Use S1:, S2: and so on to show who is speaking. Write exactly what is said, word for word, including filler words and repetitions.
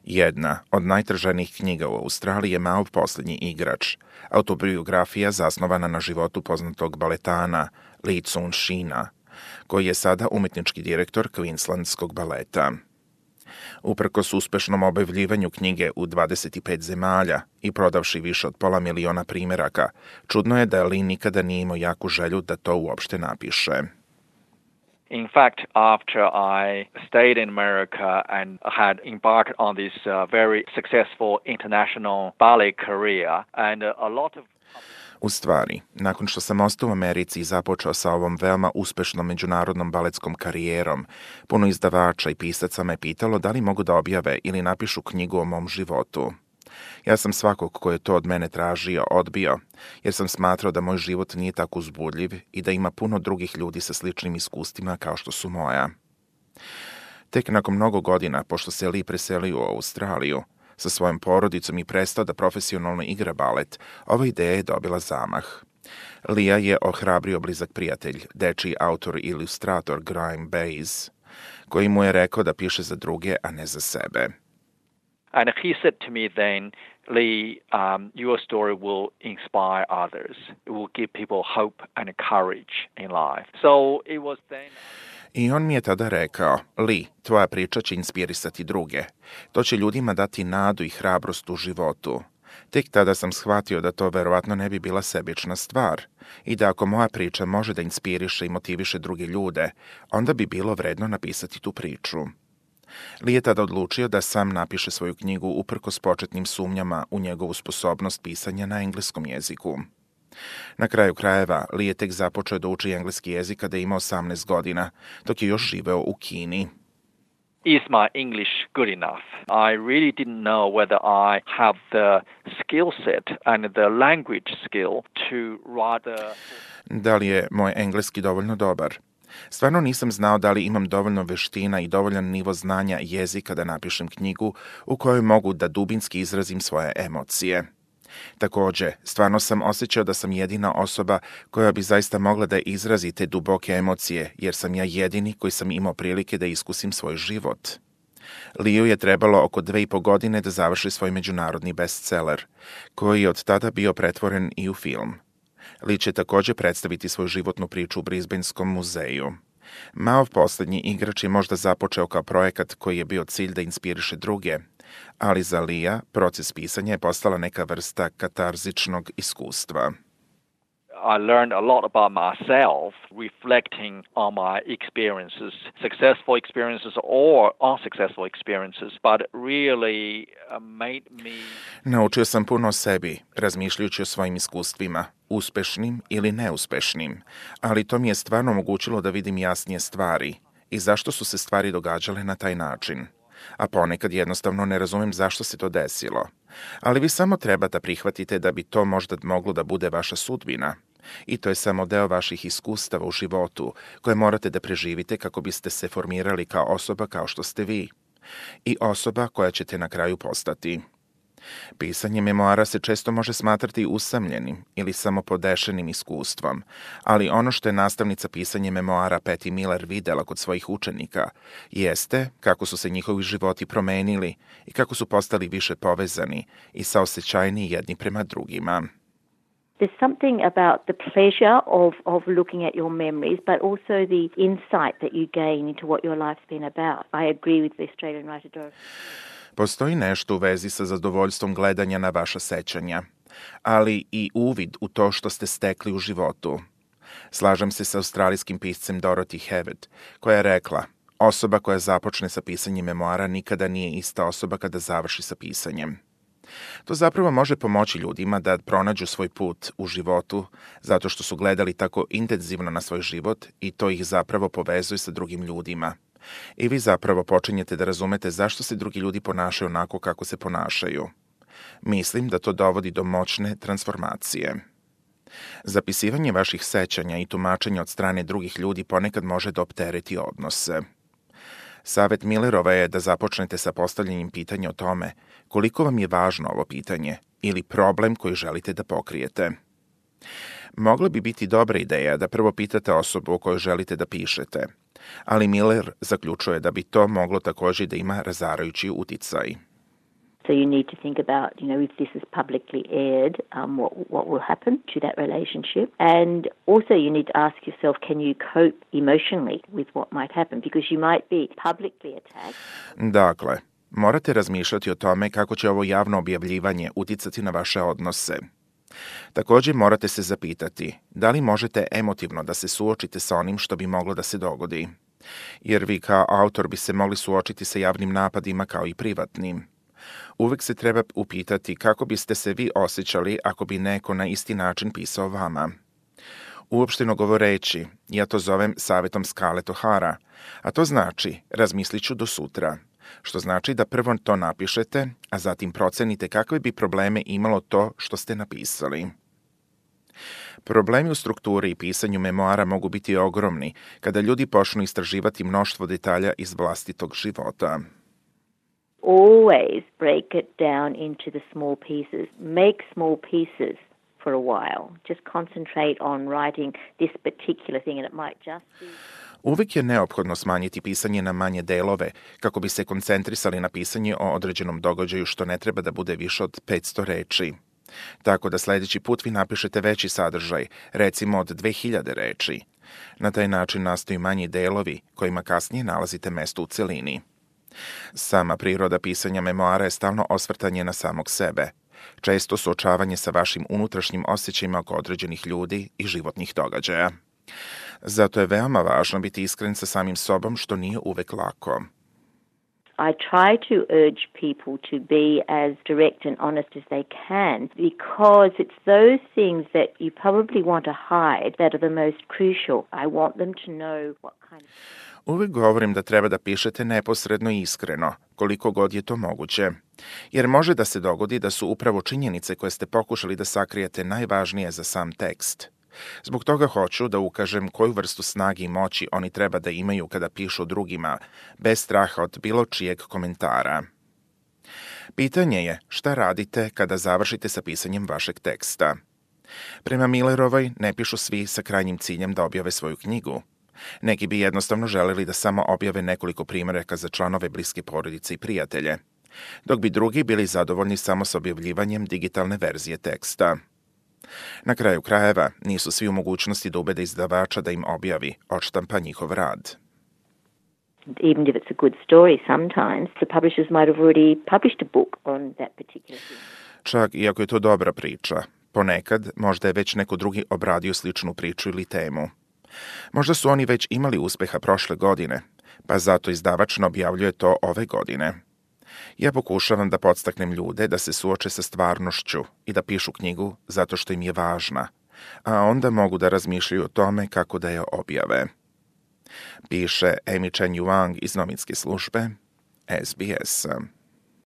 S1: Jedna od najtraženijih knjiga u Australiji je Maov posljednji igrač, autobiografija zasnovana na životu poznatog baletana Lee Tsun-shina, koji je sada umetnički direktor Queenslandskog baleta. Uprkos uspešnom objavljivanju knjige u dvadeset pet zemalja i prodavši više od pola miliona primjeraka, čudno je da Lee nikada nije imao jaku želju da to uopšte napiše.
S2: In fact, after I stayed in America and had embarked on this uh, very successful international ballet career, and uh, a lot of
S1: U stvari, nakon što sam ostao u Americi i započeo sa ovom veoma uspešnom međunarodnom baletskom karijerom, puno izdavača i pisaca me pitalo da li mogu da objave ili napišu knjigu o mom životu. Ja sam svakog ko je to od mene tražio odbio, jer sam smatrao da moj život nije tako uzbudljiv i da ima puno drugih ljudi sa sličnim iskustvima kao što su moja. Tek nakon mnogo godina, pošto se Lee preselio u Australiju, sa svojom porodicom i prestao da profesionalno igra balet, ova ideja je dobila zamah. Lia je ohrabrio blizak prijatelj, dečiji autor i ilustrator Graham Bayes, koji mu je rekao da piše za druge, a ne za sebe.
S2: And he said to me then, Lee, um, your story will inspire others. It will give people hope and courage in life. So it was then...
S1: I on mi je tada rekao, Lee, tvoja priča će inspirisati druge. To će ljudima dati nadu i hrabrost u životu. Tek tada sam shvatio da to verovatno ne bi bila sebična stvar i da ako moja priča može da inspiriše i motiviše druge ljude, onda bi bilo vredno napisati tu priču. Lee je tada odlučio da sam napiše svoju knjigu uprkos početnim sumnjama u njegovu sposobnost pisanja na engleskom jeziku. Na kraju krajeva, Lee je tek započeo da uči engleski jezik kada je imao osamnaest godina, dok je još živeo u Kini.
S2: Is my English good enough? I really didn't know whether I have the skill set and the language skill to write a...
S1: Da li je moj engleski dovoljno dobar? Stvarno nisam znao da li imam dovoljno veština i dovoljan nivo znanja jezika da napišem knjigu u kojoj mogu da dubinski izrazim svoje emocije. Takođe, stvarno sam osjećao da sam jedina osoba koja bi zaista mogla da izrazi te duboke emocije, jer sam ja jedini koji sam imao prilike da iskusim svoj život. Liu je trebalo oko dve i po godine da završi svoj međunarodni bestseller, koji je od tada bio pretvoren i u film. Lee će takođe predstaviti svoju životnu priču u Brisbaneskom muzeju. Maov posljednji igrač je možda započeo kao projekat koji je bio cilj da inspiriše druge, ali za Lia proces pisanja je postala neka vrsta katarzičnog iskustva.
S2: I learned a lot about myself, reflecting on my experiences, successful experiences or unsuccessful experiences, but really made me...
S1: Naučio sam puno o sebi, razmišljajući o svojim iskustvima, uspešnim ili neuspešnim, ali to mi je stvarno omogućilo da vidim jasnije stvari i zašto su se stvari događale na taj način. A ponekad jednostavno ne razumem zašto se to desilo. Ali vi samo treba da prihvatite da bi to možda moglo da bude vaša sudbina. I to je samo deo vaših iskustava u životu koje morate da preživite kako biste se formirali kao osoba kao što ste vi. I osoba koja ćete na kraju postati. Pisanje memoara se često može smatrati usamljenim ili samo podešenim iskustvom, ali ono što je nastavnica pisanja memoara Patty Miller videla kod svojih učenika jeste kako su se njihovi životi promenili i kako su postali više povezani i saosećajni jedni prema drugima.
S3: There's something about the pleasure of, of looking at your memories, but also the insight that you gain into what your life's been about. I agree with the Australian writer Dorothy.
S1: Postoji nešto u vezi sa zadovoljstvom gledanja na vaša sećanja, ali i uvid u to što ste stekli u životu. Slažem se sa australijskim piscem Dorothy Hewitt, koja je rekla, osoba koja započne sa pisanjem memoara nikada nije ista osoba kada završi sa pisanjem. To zapravo može pomoći ljudima da pronađu svoj put u životu zato što su gledali tako intenzivno na svoj život i to ih zapravo povezuje sa drugim ljudima. I vi zapravo počinjete da razumete zašto se drugi ljudi ponašaju onako kako se ponašaju. Mislim da to dovodi do moćne transformacije. Zapisivanje vaših sećanja i tumačenja od strane drugih ljudi ponekad može da optereti odnose. Savet Millerova je da započnete sa postavljanjem pitanja o tome koliko vam je važno ovo pitanje ili problem koji želite da pokrijete. Mogla bi biti dobra ideja da prvo pitate osobu o kojoj želite da pišete, ali Miller zaključuje da bi to moglo također da ima razarajući uticaj.
S3: So you need to think about, you know, if this is publicly aired, um, what what will happen to that relationship. And also you need to ask yourself, can you cope emotionally with what might happen? Because you might be publicly attacked.
S1: Dakle, morate razmišljati o tome kako će ovo javno objavljivanje uticati na vaše odnose. Također morate se zapitati da li možete emotivno da se suočite sa onim što bi moglo da se dogodi. Jer vi kao autor bi se mogli suočiti sa javnim napadima kao i privatnim. Uvek se treba upitati kako biste se vi osjećali ako bi neko na isti način pisao vama. Uopšteno govoreći, ja to zovem savjetom Scarlett O'Hara, a to znači razmislit ću do sutra, što znači da prvo to napišete, a zatim procenite kakve bi probleme imalo to što ste napisali. Problemi u strukturi i pisanju memoara mogu biti ogromni kada ljudi počnu istraživati mnoštvo detalja iz vlastitog života.
S3: Always break it down into the small pieces. Make small pieces for a while. Just concentrate on writing this particular thing and it might just be...
S1: Uvijek je neophodno smanjiti pisanje na manje delove kako bi se koncentrisali na pisanje o određenom događaju što ne treba da bude više od petsto reči. Tako da sljedeći put vi napišete veći sadržaj, recimo od dve hiljade reči. Na taj način nastaju manji delovi kojima kasnije nalazite mesto u celini. Sama priroda pisanja memoara je stalno osvrtanje na samog sebe, često suočavanje sa vašim unutrašnjim osjećajima oko određenih ljudi i životnih događaja. Zato je veoma važno biti iskren sa samim sobom, što nije uvek lako.
S3: I try to urge people to be as direct and honest as they can because it's those things that you probably want to hide that are the most crucial. I want them to know what kind of...
S1: Uvijek govorim da treba da pišete neposredno i iskreno, koliko god je to moguće. Jer može da se dogodi da su upravo činjenice koje ste pokušali da sakrijete najvažnije za sam tekst. Zbog toga hoću da ukažem koju vrstu snage i moći oni treba da imaju kada pišu drugima, bez straha od bilo čijeg komentara. Pitanje je šta radite kada završite sa pisanjem vašeg teksta. Prema Millerovoj ne pišu svi sa krajnjim ciljem da objave svoju knjigu. Neki bi jednostavno želeli da samo objave nekoliko primjeraka za članove bliske porodice i prijatelje, dok bi drugi bili zadovoljni samo s objavljivanjem digitalne verzije teksta. Na kraju krajeva nisu svi u mogućnosti da ubede izdavača da im objavi, odštampa njihov rad.
S3: Even if it's a good story, sometimes the publishers might have already published a book on that particular thing.
S1: Čak iako je to dobra priča, ponekad možda je već neko drugi obradio sličnu priču ili temu. Možda su oni već imali uspeha prošle godine, pa zato izdavač ne objavljuje to ove godine. Ja pokušavam da podstaknem ljude da se suoče sa stvarnošću i da pišu knjigu zato što im je važna, a onda mogu da razmišljaju o tome kako da je objave. Piše Amy Chen Yuang iz novinske službe S B S.